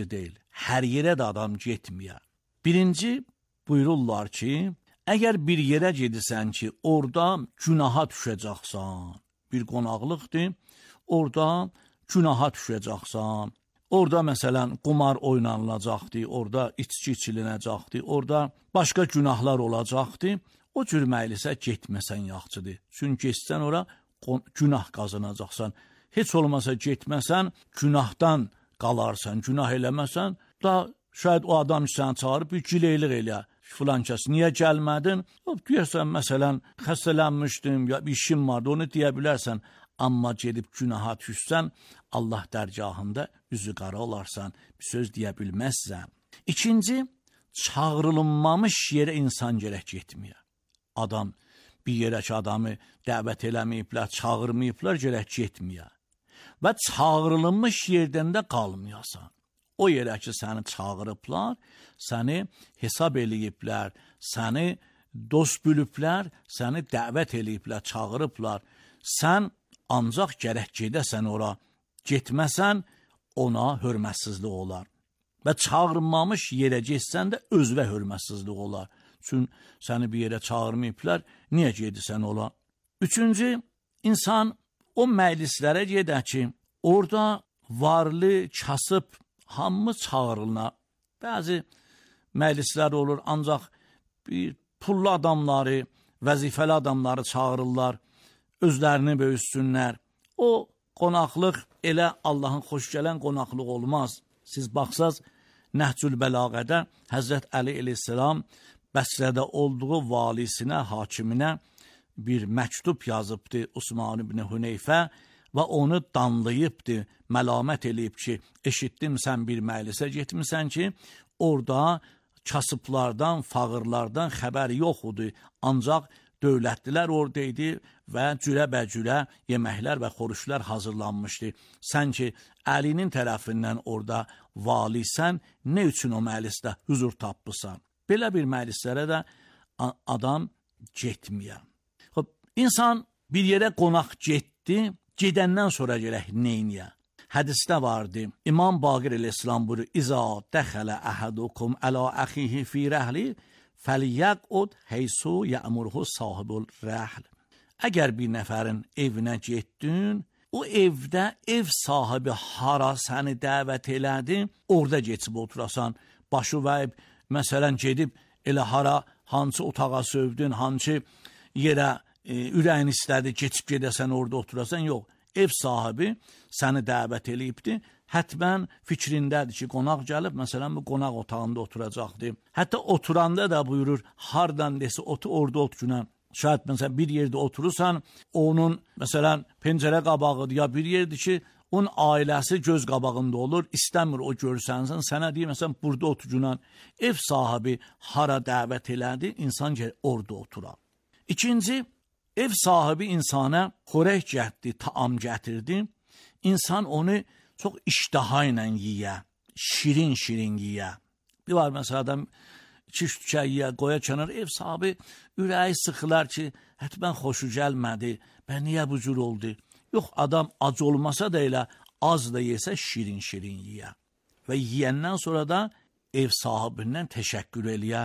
deyil. Hər yerə də adam getməyə. Birinci buyururlar ki, əgər bir yerə gedirsən ki, orada günaha düşəcəksən, bir qonaqlıqdır, orada günaha düşəcəksən, orada məsələn qumar oynanılacaqdır, orada içki içilinəcəkdir, orada başqa günahlar olacaqdır, o cür məylisə getməsən yaxşıdır. Çünki getsən ora günah qazanacaqsan. Heç olmasa getməsən, günahdan qalarsan, günah eləməsən, da şayad o adam səni çağırıb bir gileylik elə. Filan kəs, niyə gəlmədin? Deyərsən, məsələn, xəstələnmişdim, ya bir işim vardı, onu deyə bilərsən. Amma gedib günaha düşsən, Allah dərgahında üzü qara olarsan, bir söz deyə bilməzsən. İkinci, çağırılmamış yerə insan gərək getməyə. Adam, bir yerə ki, adamı dəvət eləməyiblər, çağırmayıblar, gərək getməyə. Və çağırılmış yerdən də qalmayasan. O yerə ki, səni çağırıblar, səni hesab eləyiblər, səni dost biliblər, səni dəvət eləyiblər, çağırıblar. Sən ancaq gərək gedəsən ora, getməsən ona hörmətsizlik olar. Və çağırmamış yerə getsən də özünə hörmətsizlik olar. Çünki səni bir yerə çağırmayıblar, niyə gedirsən ola? Üçüncü, insan o məclislərə gedə ki, orada varlı, kasıb, hamı çağırılına. Bəzi məclislər olur, ancaq bir pullu adamları, vəzifəli adamları çağırırlar, özlərini böyüsünlər. O qonaqlıq elə Allahın xoş gələn qonaqlıq olmaz. Siz baxsaz, Nəhcül Bəlağədə Həzrət Əli əleyhissalam Bəsrədə olduğu valisinə, hakiminə bir məktub yazıbdı Osman ibn Hüneyfə və onu danlayıbdı, məlamət eləyib ki, eşitdim sən bir məclisə getmisən ki, orada kasıblardan, fağırlardan xəbər yox idi, ancaq dövlətdilər oradaydı və cürə-bəcürə yeməklər və xoruşlar hazırlanmışdı. Sən ki, Əlinin tərəfindən orada valisən, nə üçün o məclisdə huzur tapmışsan? Belə bir məclislərə də adam getməyə. İnsan bir yerə qonaq getdi, gedəndən sonra gərək neyniyə? Hədisdə vardı, İmam Baqir əleyhissalam buyurur, İza dəxələ əhədukum ələ əxihi fi rəhli, fəliyəqud heysu yəmurhu sahibul rəhl. Əgər bir nəfərin evinə getdin, o evdə ev sahibi hara səni dəvət elədi, orada geçib oturasan, başı vəyib, məsələn, gedib elə hara, hansı otağa sövdün, hansı yerə ürəyin istədi, geçib gedəsən, orada oturasan, yox. Ev sahibi səni dəvət eləyibdi, hətmən fikrindədir ki, qonaq gəlib, məsələn, bu qonaq otağında oturacaqdır. Hətta oturanda da buyurur, hardan desə otu, orada oturuna. Şayad məsələn, bir yerdə oturursan, onun, məsələn, pəncərə qabağıdır, ya bir yerdir ki, onun ailəsi göz qabağında olur, istəmir o görsənsin, sənə deyir, məsələn, burada oturuna. Ev sahibi hara dəvət elədi, insan orada oturar. İkinci, ev sahibi insana xörək gətirdi, taam gətirdi. İnsan onu çox iştaha ilə yiyə, şirin-şirin yiyə. Bir var məsələn, adam 2-3 tükə yiyə, qoya kənar, ev sahibi ürəyi sıxılar ki, hətmən xoşu gəlmədi, bə niyə bu cür oldu? Yox, adam ac olmasa da elə, az da yesə şirin-şirin yiyə. Və yiyəndən sonra da ev sahibindən təşəkkür eləyə,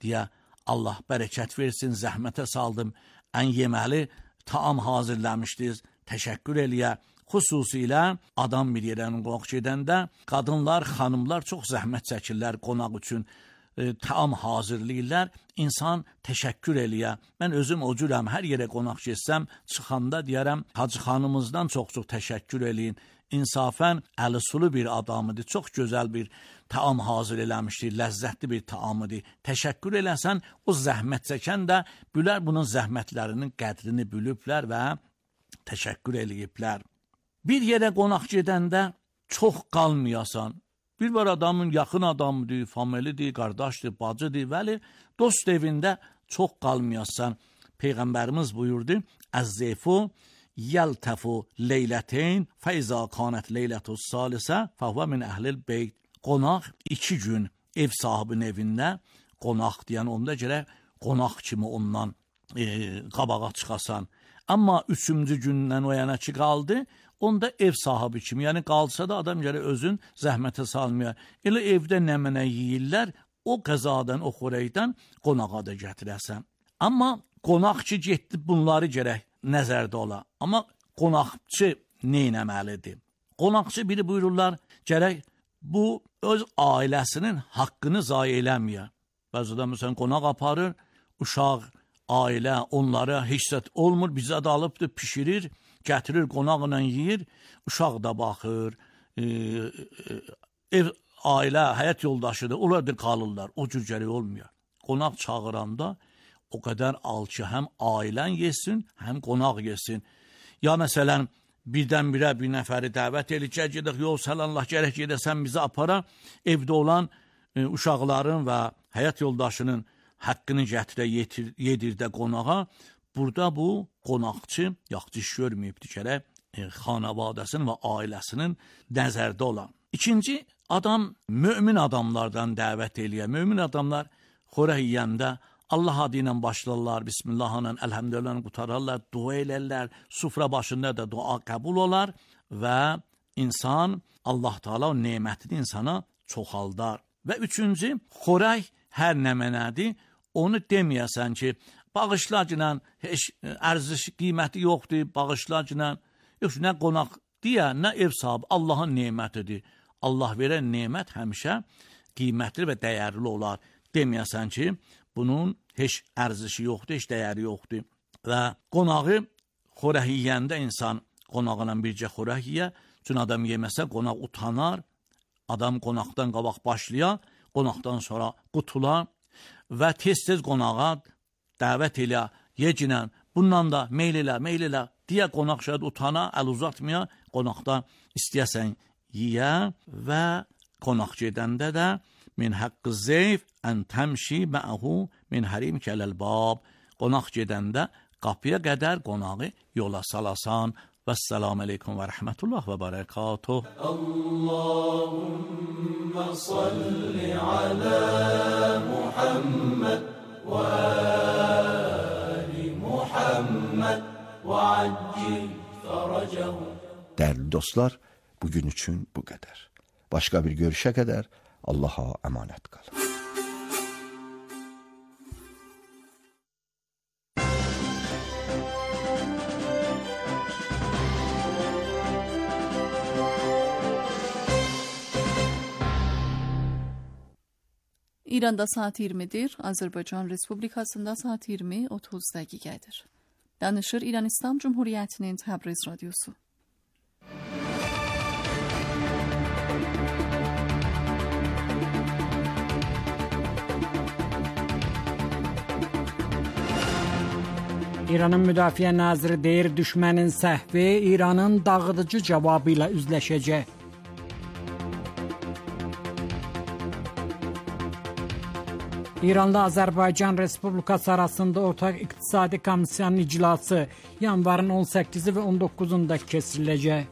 deyə Allah bərəkət versin, zəhmətə saldım, ən yeməli taam hazırlamışdınız, təşəkkür eləyə. Xüsusilə adam bir yerdən qonaq gedəndə qadınlar, xanımlar çox zəhmət çəkirlər qonaq üçün, taam hazırlayırlar, insan təşəkkür eləyə. Mən özüm o cürəm, hər yerə qonaq getsəm, çıxanda deyərəm, Hacı xanımızdan çox-çox təşəkkür eləyin. İnsafən əlisulu bir adamıdır, çox gözəl bir taam hazır eləmişdir, ləzzətli bir taamıdır. Təşəkkür eləsən, o zəhmət çəkən də bülər bunun zəhmətlərinin qədrini bülüblər və təşəkkür eləyiblər. Bir yerə qonaq gedəndə çox qalmayasan. Bir var adamın yaxın adamıdır, familidir, qardaşdır, bacıdır, vəli dost evində çox qalmayasan. Peyğəmbərimiz buyurdu, əz-zeyfu yəltəfu leyləteyn fəizə kanət leylətus salisə fəhvə min əhlil beyt. Qonaq 2 gün ev sahibinin evində qonaq deyən onda gərək qonaq kimi ondan qabağa çıxasan. Amma 3-cü gündən o yana ki qaldı, onda ev sahibi kimi, yəni qalsa da adam gərək özün zəhmətə salmaya. Elə evdə nə-mənə yeyirlər, o qəzadan, o xörəkdən qonağa da gətirəsən. Amma qonaq ki, getdi bunları gərək nəzərdə ola. Amma qonaqçı neynəməlidir? Qonaqçı biri buyururlar, gərək bu öz ailəsinin haqqını zayi eləməyə. Bəzidə məsələn qonaq aparır, uşaq, ailə onlara heç zət olmur, bizə də alıbdır, pişirir, gətirir, qonaqla yeyir, uşaq da baxır, ev, ailə, həyat yoldaşıdır, onlar da qalırlar, o cür gərək olmuyor. Qonaq çağıranda o qədər al ki, həm ailən yesin, həm qonaq yesin. Ya məsələn, birdən-birə bir nəfəri dəvət edəcək, gedək, yol səlallah, gərək gedəsən bizi apara, evdə olan uşaqların və həyat yoldaşının haqqını gətirə yedirdə qonağa, burada bu qonaqçı yaxşı iş görməyibdir, gərək xanavadəsinin və ailəsinin nəzərdə olan. İkinci, adam mömin adamlardan dəvət eləyər. Mömin adamlar xörək yeyəndə Allah adı ilə başlarlar, Bismillahla, Elhamdülillah qutararlar, dua elərlər, sufra başında da dua qəbul olar və insan, Allah Teala o nemətini insana çoxaldar. Və üçüncü, xörək hər nə mənədir, onu deməyəsən ki, bağışlacına heç ərziş qiyməti yoxdur, bağışlacına, yox, nə qonaq deyə, nə ev sahibi, Allahın nemətidir. Allah verən nemət həmişə qiymətli və dəyərli olar. Deməyəsən ki, bunun heç ərzişi yoxdur, heç dəyəri yoxdur. Və qonağı xörək yeyəndə insan qonağına bircə xörək yeyə, çünki adam yeməsə qonaq utanar, adam qonaqdan qabaq başlaya, qonaqdan sonra qutula və tez-tez qonağa dəvət elə, yecinə, bundan da meyl elə, deyə qonaq şəhət utana, əl uzatmaya, qonaqda istəyəsən yeyə və qonaq gedəndə də min haqqı zeyf ən təmşi mə'hu min hərim kələl-bab. Qonaq gedəndə qapıya qədər qonağı yola salasan. Vəssalamu aleykum və rəhmətullah və bərəkatuh. Allahümmə salli alə Muhammed və əli Muhammed və accil fərəcəhu. Dəyərli dostlar, bugün üçün bu qədər. Başqa bir görüşə qədər Allaha əmanət qalın. İranda saat 20'dir, Azərbaycan Respublikasında saat 20:30 dəqiqədir. Danışır İran İslam Cumhuriyyətinin Təbriz Radyosu. İranın Müdafiə Naziri deyir, düşmənin səhvi İranın dağıdıcı cavabı ilə üzləşəcək. İranda Azərbaycan Respublikası arasında ortaq iqtisadi komissiyanın iclası yanvarın 18-i və 19-unda keçiriləcək.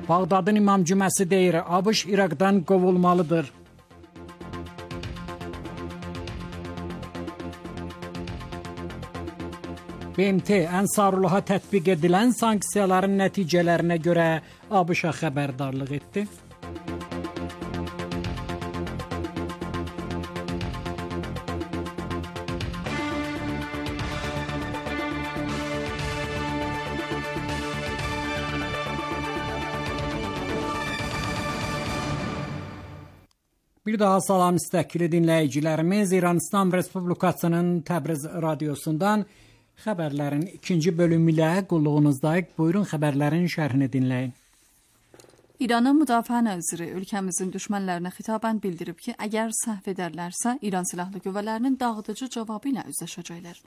Bağdadın İmam Cüməsi deyir, ABŞ İraqdan qovulmalıdır. BMT Ənsarullaha tətbiq edilən sanksiyaların nəticələrinə görə ABŞ-a xəbərdarlıq etdi. Bir daha salam müstəqili dinləyicilərimiz, İran İslam Respublikasının Təbriz Radyosundan xəbərlərin ikinci bölümü ilə qulluğunuzdayıq. Buyurun xəbərlərin şərhini dinləyin. İranın Müdafiə Naziri ölkəmizin düşmənlərinə xitaban bildirib ki, əgər səhv edərlərsə, İran Silahlı Qüvvələrinin dağıdıcı cavabı ilə üzləşəcəklər.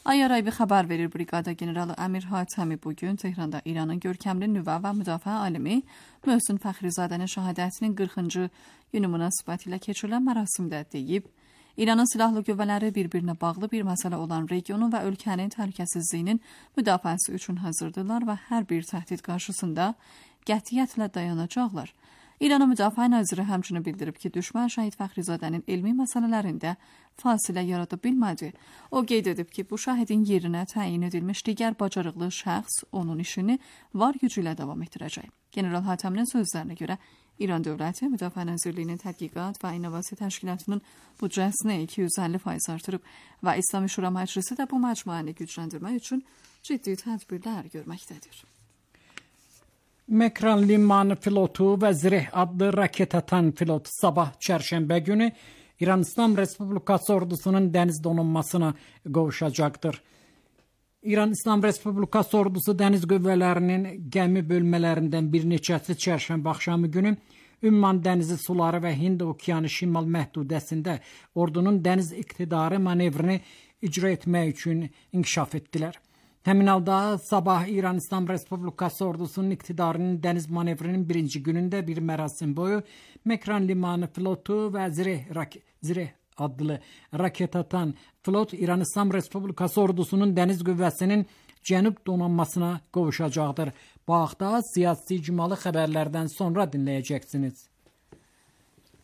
Ayaraybi xəbər verir Briqada generalı Əmir Hatəmi bugün Tehranda İranın görkəmli nüvə və müdafiə alimi Möhsün Fəxrizadənin şəhadətinin 40-cı günü münasibətilə keçirilən mərasimdə deyib, İranın silahlı qüvvələri bir-birinə bağlı bir məsələ olan regionun və ölkənin təhlükəsizliyinin müdafiəsi üçün hazırdırlar və hər bir təhdid qarşısında qətiyyətlə dayanacaqlar. İranın Müdafiə Naziri həmçinin bildirib ki, düşmən Şəhid Fəxrizadənin elmi məsələlərində fasilə yarada bilmədi. O qeyd edib ki, bu şəhidin yerinə təyin edilmiş digər bacarıqlı şəxs onun işini var gücü ilə davam etdirəcək. General Hatəminin sözlərinə görə İran dövləti Müdafiə Nazirliyinin Tədqiqat və İnnovasiya Təşkilatının büdcəsini 250% artırıb və İslami Şura Məclisi də bu məcmuəni gücləndirmək üçün ciddi tədbirlər görməkdədir. Mekran limanı pilotu və Zireh adlı raket atan pilot sabah çərşənbə günü İran İslam Respublikası ordusunun dəniz donanmasına qovuşacaqdır. İran İslam Respublikası ordusu dəniz qüvvələrinin gəmi bölmələrindən bir neçəsi çərşənbə axşamı günü Ümman dənizi suları və Hind okeanı şimal məhdudəsində ordunun dəniz iqtidarı manevrini icra etmək üçün inkişaf etdilər. Həmin halda sabah İran İslam Respublikası ordusunun iqtidarının dəniz manevrinin birinci günündə bir mərasim boyu Mekran limanı pilotu və Zireh adlı raket atan pilot İran İslam Respublikası ordusunun dəniz qüvvəsinin cənub donanmasına qovuşacaqdır. Bu haqda siyasi icmalı xəbərlərdən sonra dinləyəcəksiniz.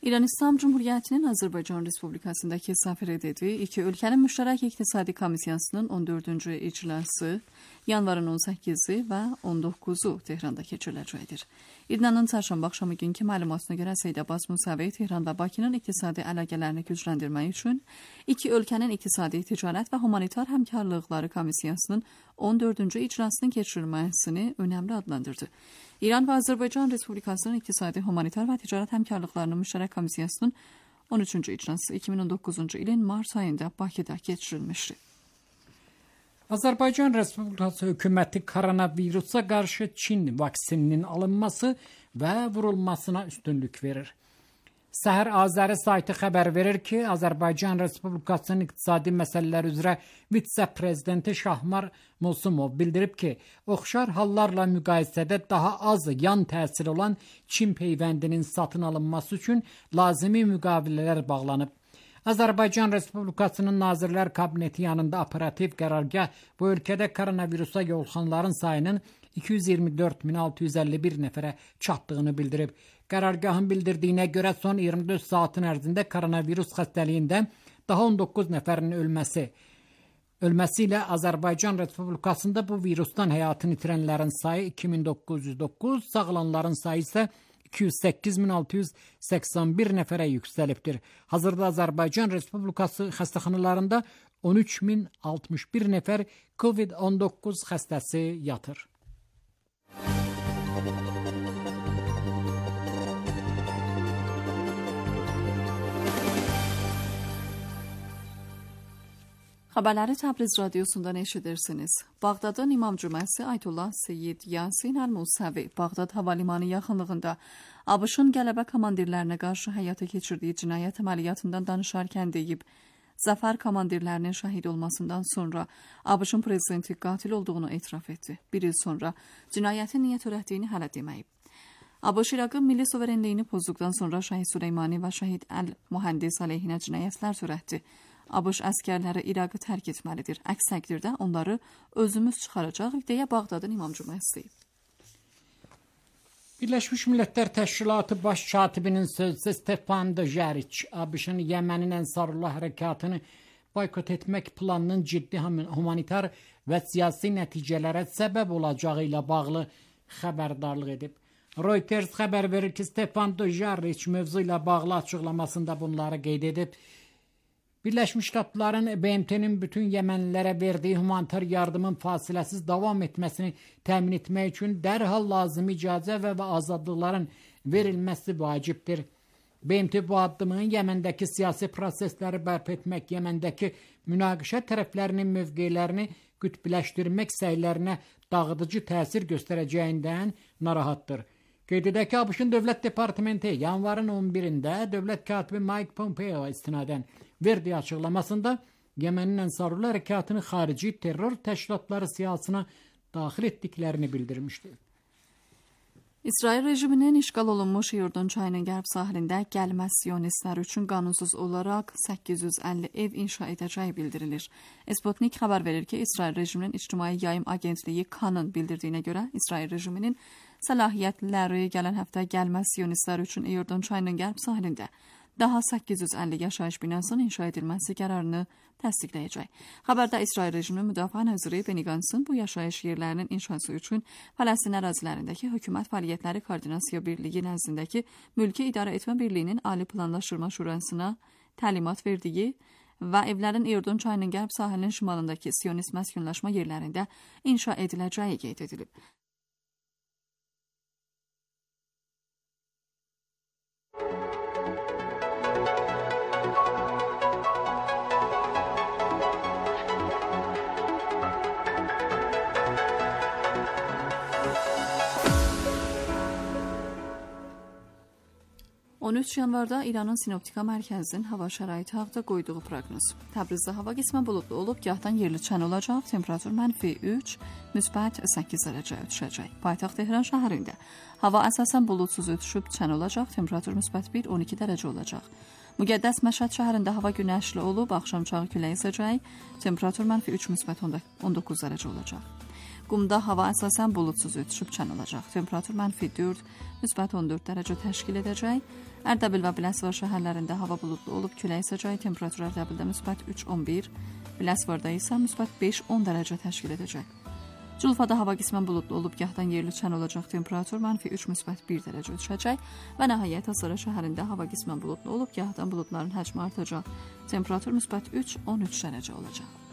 İran İslam Cumhuriyyətinin Azərbaycan Respublikasındakı səfiri dedi, iki ölkənin müştərək iqtisadi komissiyasının 14-cü iclası yanvarın 18-i və 19-u Tehranda keçiriləcəkdir. İdnanın çərşənbə axşamı günkü məlumatına görə Seyid Abbas Musavi Tehran və Bakının iqtisadi əlaqələrini gücləndirmək üçün iki ölkənin iqtisadi, ticarət və humanitar həmkarlıqları komissiyasının 14-cü iclasının keçirilməsini önəmli adlandırdı. İran və Azərbaycan Respublikasının iqtisadi, humanitar və ticarət həmkarlıqlarının müştərək komissiyasının 13-cü iclası 2009-cu ilin mart ayında Bakıda keçirilmişdi. Azərbaycan Respublikası hökuməti koronavirusa qarşı Çin vaksininin alınması və vurulmasına üstünlük verir. Səhər Azəri saytı xəbər verir ki, Azərbaycan Respublikasının iqtisadi məsələlər üzrə vitse-prezidenti Şahmar Musumov bildirib ki, oxşar hallarla müqayisədə daha az yan təsir olan Çin peyvəndinin satın alınması üçün lazımi müqavilələr bağlanıb. Azərbaycan Respublikasının Nazirlər Kabineti yanında operativ qərargah bu ölkədə koronavirusa yoluxanların sayının 224.651 nəfərə çatdığını bildirib. Qərargahın bildirdiyinə görə son 24 saatın ərzində koronavirus xəstəliyində daha 19 nəfərin ölməsi ilə Azərbaycan Respublikasında bu virusdan həyatını itirənlərin sayı 2909, sağalanların sayı isə 208.681 nəfərə yüksəlibdir. Hazırda Azərbaycan Respublikası xəstəxanalarında 13.061 nəfər COVID-19 xəstəsi yatır. Xəbərləri Təbriz radiosundan eşidirsiniz. Bağdadın İmam Cüməsi Ayətullah Seyyid Yasin Əl-Musavi Bağdad hava limanı yaxınlığında ABŞ-ın qələbə komandirlərinə qarşı həyata keçirdiyi cinayət əməliyyatından danışarkən deyib, zəfər komandirlərinin şəhid olmasından sonra ABŞ-ın prezidenti qatil olduğunu etiraf etdi. Bir il sonra cinayətin niyə törətdiyini hələ deməyib. ABŞ İraqın milli suverenliyini pozduqdan sonra Şəhid Süleymani və Şəhid Əl-Mühəndis əleyhinə cinayətlər törətdi. ABŞ əskərləri İraqı tərk etməlidir. Əks təqdirdə onları özümüz çıxaracaq deyə Bağdadın İmam Cüməsi. Birləşmiş Millətlər Təşkilatı Baş Katibinin sözçüsü Stefan Dujarric, ABŞ-ın Yəmənin Ənsarullah hərəkatını boykot etmək planının ciddi humanitar və siyasi nəticələrə səbəb olacağı ilə bağlı xəbərdarlıq edib. Reuters xəbər verir ki, Stefan Dujarric mövzu ilə bağlı açıqlamasında bunları qeyd edib. Birləşmiş Ştatların BMT-nin bütün Yəmənlilərə verdiyi humanitar yardımın fasiləsiz davam etməsini təmin etmək üçün dərhal lazımi icazə və azadlıqların verilməsi vacibdir. BMT bu addımın Yəməndəki siyasi prosesləri bərpa etmək, Yəməndəki münaqişə tərəflərinin mövqelərini qütbləşdirmək səylərinə dağıdıcı təsir göstərəcəyindən narahatdır. Qeyd edək ki, ABŞ-ın Dövlət Departamenti yanvarın 11-də dövlət katibi Mike Pompeo istinadən verdiyi açıqlamasında Yəmənin Ənsarullah hərəkatını xarici terror təşkilatları siyasına daxil etdiklərini bildirmişdi. İsrail rejiminin işğal olunmuş Yordon çayının qərb sahilində gəlmə siyonistlər üçün qanunsuz olaraq 850 ev inşa edəcəyi bildirilir. Sputnik xəbər verir ki, İsrail rejiminin İctimai Yayım Agentliyi KAN-ın bildirdiyinə görə İsrail rejiminin səlahiyyətləri gələn həftə gəlmə siyonistlər üçün Yordon çayının qərb sahilində daha 850 yaşayış binasının inşa edilməsi qərarını təsdiqləyəcək. Xəbərdə İsrail rejiminin müdafiə naziri Benny Gantzın bu yaşayış yerlərinin inşası üçün Fələstin ərazilərindəki hökumət fəaliyyətləri koordinasiya birliyi nəzdindəki Mülki İdarə Etmə Birliyinin Ali Planlaşdırma Şurasına təlimat verdiyi və evlərin Yordon çayının qərb sahilinin şimalındakı siyonist məskunlaşma yerlərində inşa ediləcəyi qeyd edilib. On 13 yanvarda İranın Sinoptika Mərkəzinin hava şəraiti haqqında qoyduğu proqnoz. Təbrizdə hava qismən buludlu olub, gahdan yerli çən olacaq, temperatur -3, müsbət 8 dərəcə ötüşəcək. Paytaxt Tehran şəhərində hava əsasən buludsuz ötüşüb, çən olacaq, temperatur müsbət 1-12 dərəcə olacaq. Müqəddəs Məşhəd şəhərində hava günəşli olub, axşamçağı külək əsəcək, temperatur -3, müsbət 19 dərəcə olacaq. Qumda hava əsasən buludsuz ötüşüb, çən olacaq. Temperatur -4, müsbət 14 dərəcə təşkil edəcək. Ərdəbil və Biləsuvar şəhərlərində hava buludlu olub, külək əsəcək. Temperatur Ərdəbildə müsbət 3-11, Biləsuvarda isə müsbət 5-10 dərəcə təşkil edəcək. Culfada hava qismən buludlu olub, gahdan yerli çən olacaq. Temperatur -3, müsbət 1 dərəcə düşəcək. Və nəhayət Asara şəhərində hava qismən buludlu olub, gahdan buludların həcmi artacaq. Temperatur müsbət 3-13 dərəcə olacaq.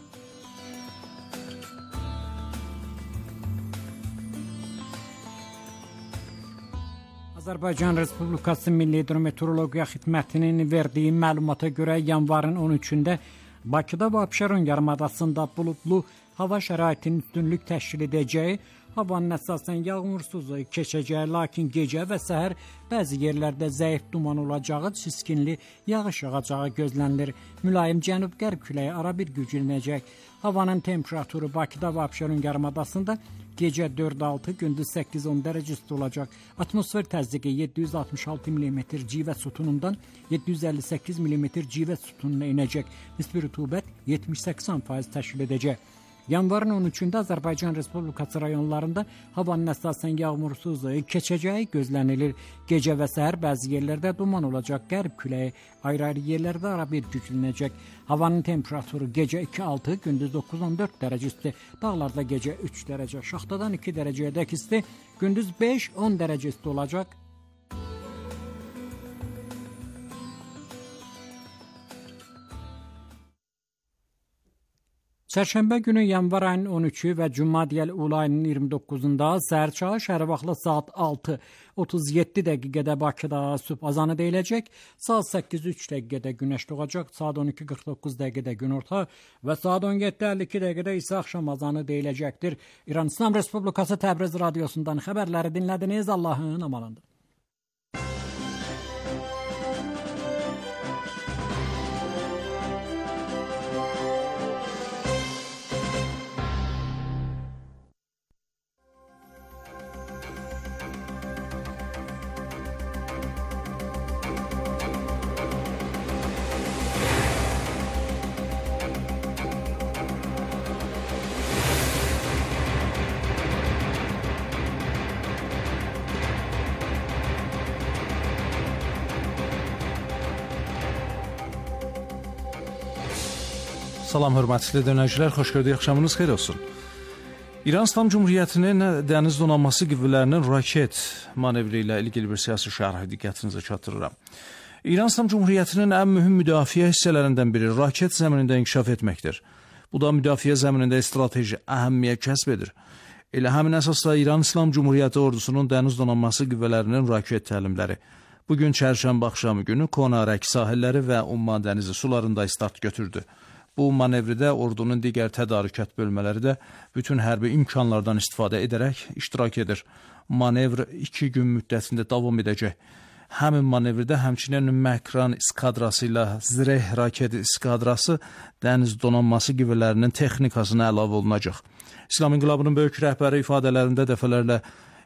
Azərbaycan Respublikası Milli Hidrometeorologiya Xidmətinin verdiyi məlumata görə yanvarın 13-də Bakıda və Abşeron yarımadasında buludlu hava şəraitinin üstünlük təşkil edəcəyi, havanın əsasən yağmursuz keçəcəyi, lakin gecə və səhər bəzi yerlərdə zəif duman olacağı, çiskinli yağış yağacağı gözlənilir. Mülayim cənub-qərb küləyi ara bir güclənəcək. Havanın temperaturu Bakıda və Abşeron yarımadasında gecə 4-6, gündüz 8-10 dərəcə isti olacaq. Atmosfer təzyiqi 766 mm civə sütunundan 758 mm civə sütununa enəcək. Nisbi rütubət 70-80% təşkil edəcək. Yanvarın 13-də Azərbaycan Respublikası rayonlarında havanın əsasən yağmursuz keçəcəyi gözlənilir. Gecə və səhər bəzi yerlərdə duman olacaq, qərb küləyi ayrı-ayrı yerlərdə ara bir güclənəcək. Havanın temperaturu gecə 2-6, gündüz 9-14 dərəcə isti, dağlarda gecə 3 dərəcə, şaxtadan 2 dərəcəyədək isti, gündüz 5-10 dərəcə isti olacaq. Çərşənbə günü yanvar ayının 13-ü və Cümə Ul ayının 29-da səhər çağı şəhər vaxtı saat 6:37 dəqiqədə Bakıda sübh azanı deyiləcək, saat 8:03 dəqiqədə günəş doğacaq, saat 12:49 dəqiqədə günorta və saat 17:52 dəqiqədə isə axşam azanı deyiləcəkdir. İran İslam Respublikası Təbriz radiosundan xəbərləri dinlədiniz. Allahın amanında. Salam hörmətli dinləyicilər, xoş gördük, axşamınız xeyir olsun. İran İslam Cumhuriyyətinin dəniz donanması qüvvələrinin raket manevri ilə ilgili bir siyasi şərhi diqqətinizə çatdırıram. İran İslam Cumhuriyyətinin ən mühüm müdafiə hissələrindən biri raket zəminində inkişaf etməkdir. Bu da müdafiə zəminində strateji əhəmiyyət kəsb edir. Elə həmin əsasda İran İslam Cumhuriyyəti ordusunun dəniz donanması qüvvələrinin raket təlimləri bugün çərşənbə axşamı günü Kona Rək sahilləri və Umman dənizi sularında start götürdü. Bu manevrdə ordunun digər tədarükat bölmələri də bütün hərbi imkanlardan istifadə edərək iştirak edir. Manevr 2 gün müddətində davam edəcək. Həmin manevrdə həmçinin Məkran iskadrası ilə Zireh raket iskadrası dəniz donanması qüvvələrinin texnikasına əlavə olunacaq. İslam İnqilabının böyük rəhbəri ifadələrində dəfələrlə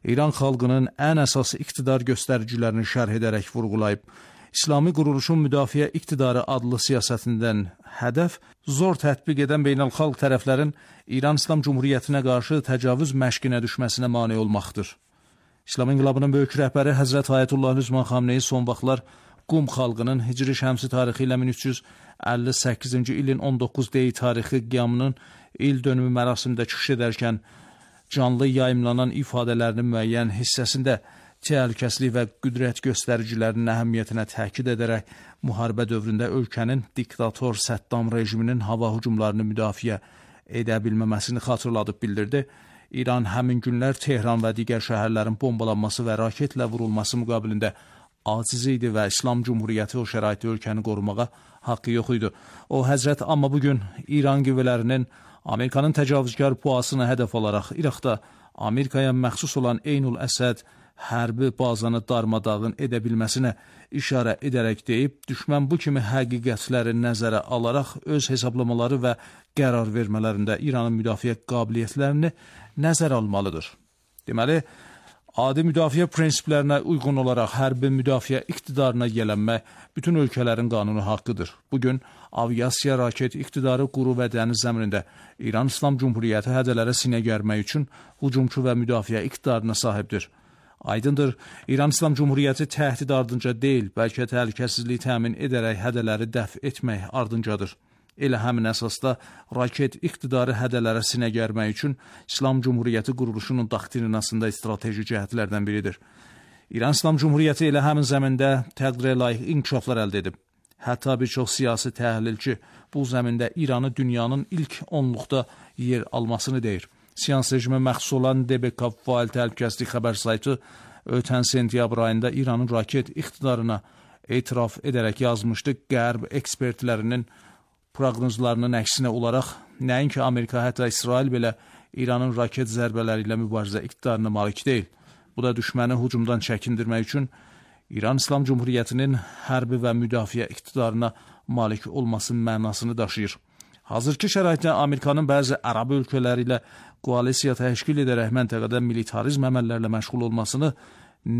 İran xalqının ən əsas iqtidar göstəricilərini şərh edərək vurğulayıb. İslami quruluşun müdafiə iqtidarı adlı siyasətindən hədəf zor tətbiq edən beynəlxalq tərəflərin İran İslam Cumhuriyyətinə qarşı təcavüz məşqinə düşməsinə mane olmaqdır. İslam İnqilabının böyük rəhbəri Həzrət Ayətullah Üzman Xamneyi son vaxtlar Qum xalqının Hicri Şəmsi tarixi ilə 1358-ci ilin 19 Dey tarixi qiyamının il dönümü mərasimində çıxış edərkən canlı yayımlanan ifadələrinin müəyyən hissəsində təhlükəsizlik və qüdrət göstəricilərinin əhəmiyyətinə təkid edərək müharibə dövründə ölkənin diktator Səddam rejiminin hava hücumlarını müdafiə edə bilməməsini xatırladıb bildirdi. İran həmin günlər Tehran və digər şəhərlərin bombalanması və raketlə vurulması müqabilində aciz idi və İslam Cumhuriyyəti o şəraitdə ölkəni qorumağa haqqı yox idi. O həzrət amma bugün İran qüvvələrinin Amerikanın təcavüzkar puasını hədəf alaraq İraqda Amerikaya məxsus olan Eynul Əsəd hərbi bazanı darmadağın edə bilməsinə işarə edərək deyib, düşmən bu kimi həqiqətləri nəzərə alaraq öz hesablamaları və qərar vermələrində İranın müdafiə qabiliyyətlərini nəzərə almalıdır. Deməli, adi müdafiə prinsiplərinə uyğun olaraq hərbi müdafiə iqtidarına yiyələnmək bütün ölkələrin qanuni haqqıdır. Bugün aviasiya, raket iqtidarı, quru və dəniz zəminində İran İslam Cumhuriyyəti hədələrə sinə gərmək üçün hücumçu və müdafiə iqtidarına sahibdir. Aydındır, İran İslam Cumhuriyyəti təhdid ardınca deyil, bəlkə təhlükəsizliyi təmin edərək hədələri dəf etmək ardıncadır. Elə həmin əsasda raket iqtidarı hədələrə sinə gərmək üçün İslam Cumhuriyyəti quruluşunun doktrinasında strateji cəhətlərdən biridir. İran İslam Cumhuriyyəti elə həmin zəmində təqdirə layiq inkişaflar əldə edib. Hətta bir çox siyasi təhlilçi bu zəmində İranı dünyanın ilk 10-luqda yer almasını deyir. Siyans rejimə məxsus olan DBK Fail Təhlükəsizlik xəbər saytı ötən sentyabr ayında İranın raket iqtidarına etiraf edərək yazmışdı. Qərb ekspertlərinin proqnozlarının əksinə olaraq nəinki Amerika, hətta İsrail belə İranın raket zərbələri ilə mübarizə iqtidarına malik deyil. Bu da düşməni hücumdan çəkindirmək üçün İran İslam Cumhuriyyətinin hərbi və müdafiə iqtidarına malik olması mənasını daşıyır. Hazırki şəraitdə Amerikanın bəzi ərəb ölkələri ilə koalisiya təşkil edərək məntəqədə militarizm əməllərlə məşğul olmasını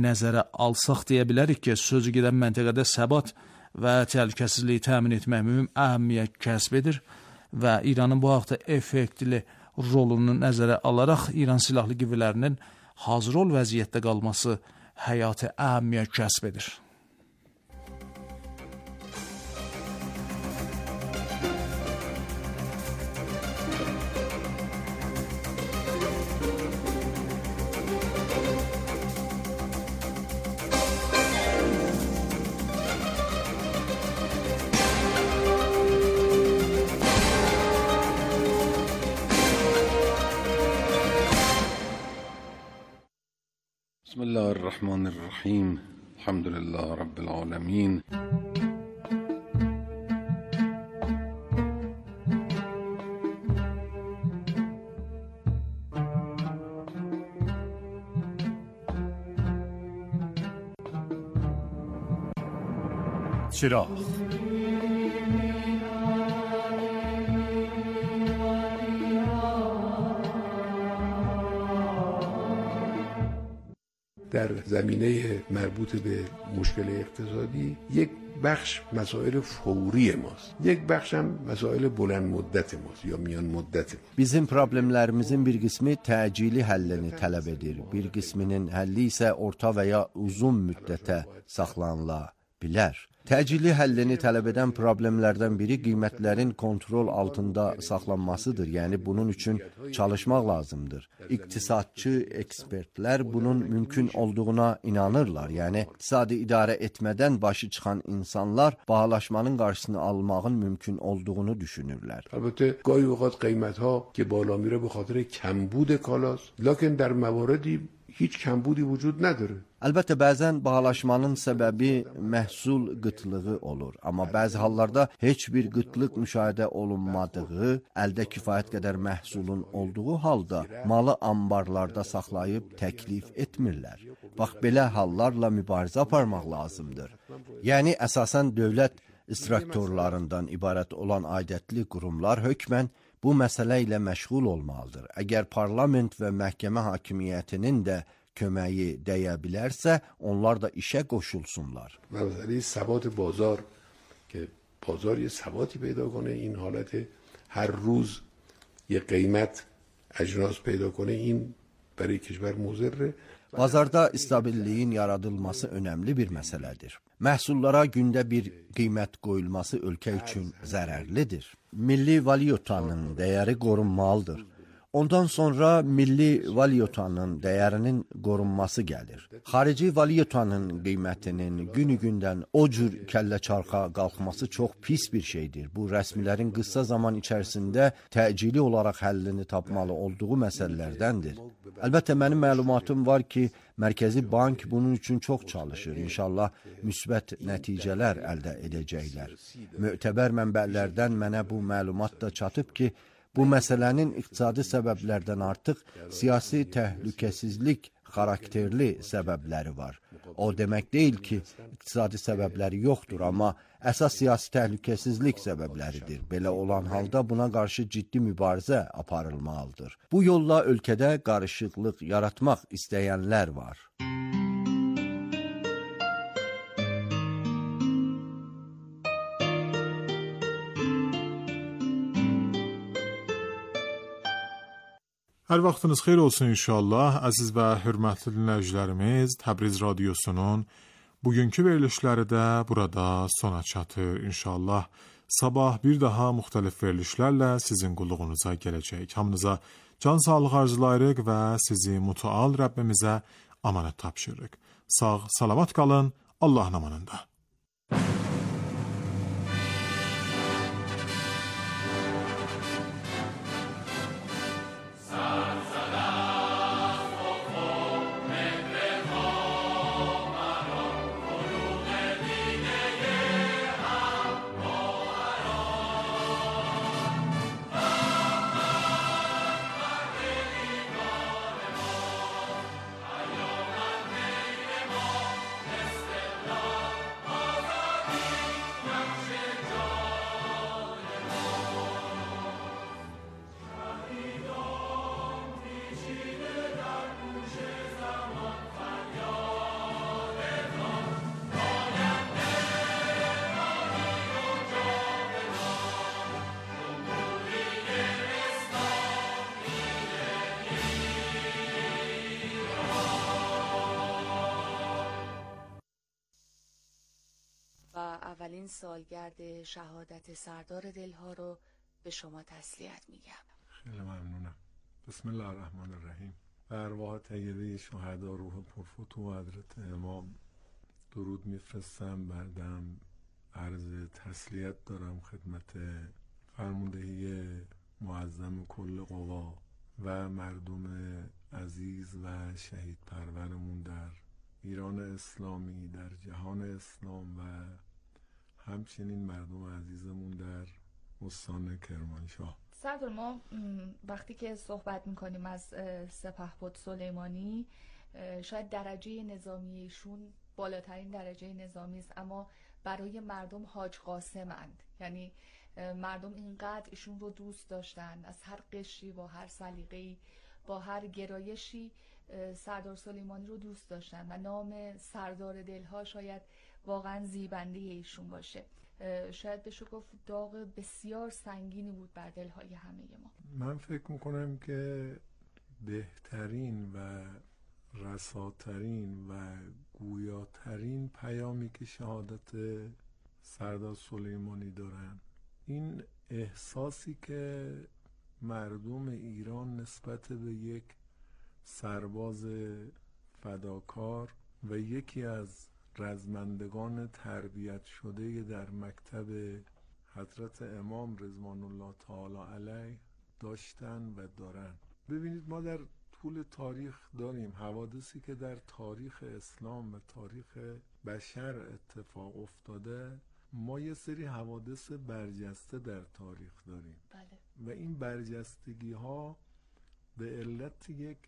nəzərə alsaq deyə bilərik ki, sözü gedən məntəqədə səbat və təhlükəsizliyi təmin etmək mühüm əhəmiyyət kəsb edir və İranın bu haqda effektli rolunu nəzərə alaraq İran silahlı qüvvələrinin hazır ol vəziyyətdə qalması həyati əhəmiyyət kəsb edir. بسم الله الرحمن الرحیم الحمد لله رب العالمین چراغ در زمینه مربوط به مشکل اقتصادی یک بخش مسائل فوری ماست، یک بخش هم مسائل بلند مدت ماست یا میان مدت ماست. Bizim problemlərimizin bir qismi təcili həllini tələb edir. Bir qisminin həlli isə orta və ya uzun müddətə saxlanıla bilər. Təcili həllini tələb edən problemlərdən biri qiymətlərin kontrol altında saxlanmasıdır. Yəni bunun üçün çalışmaq lazımdır. İqtisadçı ekspertlər bunun mümkün olduğuna inanırlar. Yəni iqtisadi idarə etmədən başı çıxan insanlar bahalaşmanın qarşısını almağın mümkün olduğunu düşünürlər. البته گاهی اوقات قیمت‌ها که بالا میره به خاطر کمبود کالاست، لکن در مواردی hiç kembudi vücud nedir? Əlbəttə, bəzən bahalaşmanın səbəbi məhsul qıtlığı olur. Amma bəzi hallarda heç bir qıtlıq müşahidə olunmadığı, əldə kifayət qədər məhsulun olduğu halda malı ambarlarda saxlayıb təklif etmirlər. Bax, belə hallarla mübarizə aparmaq lazımdır. Yəni, əsasən dövlət instruktorlarından ibarət olan aidiyyətli qurumlar hökmən bu məsələ ilə məşğul olmalıdır. Əgər parlament və məhkəmə hakimiyyətinin də köməyi dəyə bilərsə, onlar da işə qoşulsunlar. مسئله ثبات بازار که بازار یه ثباتی پیدا کنه، این حالت هر روز یه قیمت اجناس پیدا کنه، این برای کشور مضره. Bazarda stabilliyin yaradılması önəmli bir məsələdir. Məhsullara gündə bir qiymət qoyulması ölkə üçün zərərlidir. Milli valyutanın dəyəri qorunmalıdır. Ondan sonra milli valyutanın dəyərinin qorunması gəlir. Xarici valyutanın qiymətinin günü-gündən o cür kəllə-çarxa qalxması çox pis bir şeydir. Bu, rəsmilərin qısa zaman içərisində təcili olaraq həllini tapmalı olduğu məsələlərdəndir. Əlbəttə, mənim məlumatım var ki, Mərkəzi Bank bunun üçün çox çalışır. İnşallah müsbət nəticələr əldə edəcəklər. Mötəbər mənbələrdən mənə bu məlumat da çatıb ki, bu məsələnin iqtisadi səbəblərdən artıq siyasi təhlükəsizlik xarakterli səbəbləri var. O demək deyil ki, iqtisadi səbəbləri yoxdur, amma əsas siyasi təhlükəsizlik səbəbləridir. Belə olan halda buna qarşı ciddi mübarizə aparılmalıdır. Bu yolla ölkədə qarışıqlıq yaratmaq istəyənlər var. Hər vaxtınız xeyir olsun inşallah. Əziz və hörmətli dinləyicilərimiz, Təbriz Radiosunun bugünkü verilişləri də burada sona çatır. İnşallah sabah bir daha müxtəlif verilişlərlə sizin qulluğunuza gələcək. Hamınıza can sağlıq arzulayırıq və sizi mütəal Rəbbimizə amanət tapşırırıq. Sağ, salamat qalın, Allahın amanında. اولین سالگرد شهادت سردار دلها رو به شما تسلیت میگم. خیلی ممنونم. بسم الله الرحمن الرحیم. به ارواح طیبه شهدا روح پرفتوح حضرت امام درود میفرستم. بعدم عرض تسلیت دارم خدمت فرماندهی معظم کل قوا و مردم عزیز و شهید پرورمون در ایران اسلامی، در جهان اسلام و همچنین مردم عزیزمون در استان کرمانشاه. سردار، ما وقتی که صحبت میکنیم از سپهبد سلیمانی، شاید درجه نظامیشون بالاترین درجه نظامی است، اما برای مردم حاج قاسمند. یعنی مردم اینقدر ایشون رو دوست داشتن، از هر قشری و هر سلیقه‌ای با هر گرایشی سردار سلیمانی رو دوست داشتن و نام سردار دلها شاید واقعا زیبنده ایشون باشه. شاید بشه گفت داغ بسیار سنگینی بود بر دلهای همه ما. من فکر میکنم که بهترین و رساترین و گویاترین پیامی که شهادت سردار سلیمانی دارن، این احساسی که مردم ایران نسبت به یک سرباز فداکار و یکی از رزمندگان تربیت شده در مکتب حضرت امام رضوان الله تعالی علیه داشتن و دارن. ببینید، ما در طول تاریخ داریم حوادثی که در تاریخ اسلام و تاریخ بشر اتفاق افتاده. ما یه سری حوادث برجسته در تاریخ داریم. بله. و این برجستگی ها به علت یک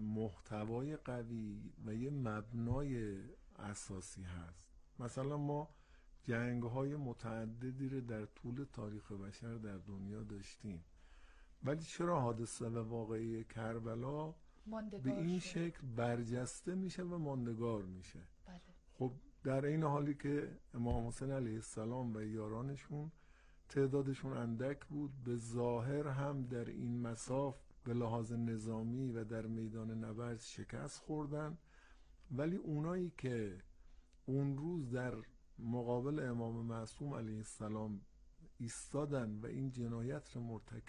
محتوای قوی و یه مبنای اساسی هست. مثلا ما جنگ های متعددی رو در طول تاریخ بشر در دنیا داشتیم، ولی چرا حادثه و واقعه کربلا ماندگار به این شد. شکل برجسته میشه و ماندگار میشه. بله. خب در این حالی که امام حسین علیه السلام و یارانشون تعدادشون اندک بود، به ظاهر هم در این مساف به لحاظ نظامی و در میدان نبرد شکست خوردن، ولی اونایی که اون روز در مقابل امام معصوم علیه السلام ایستادن و این جنایت رو مرتکب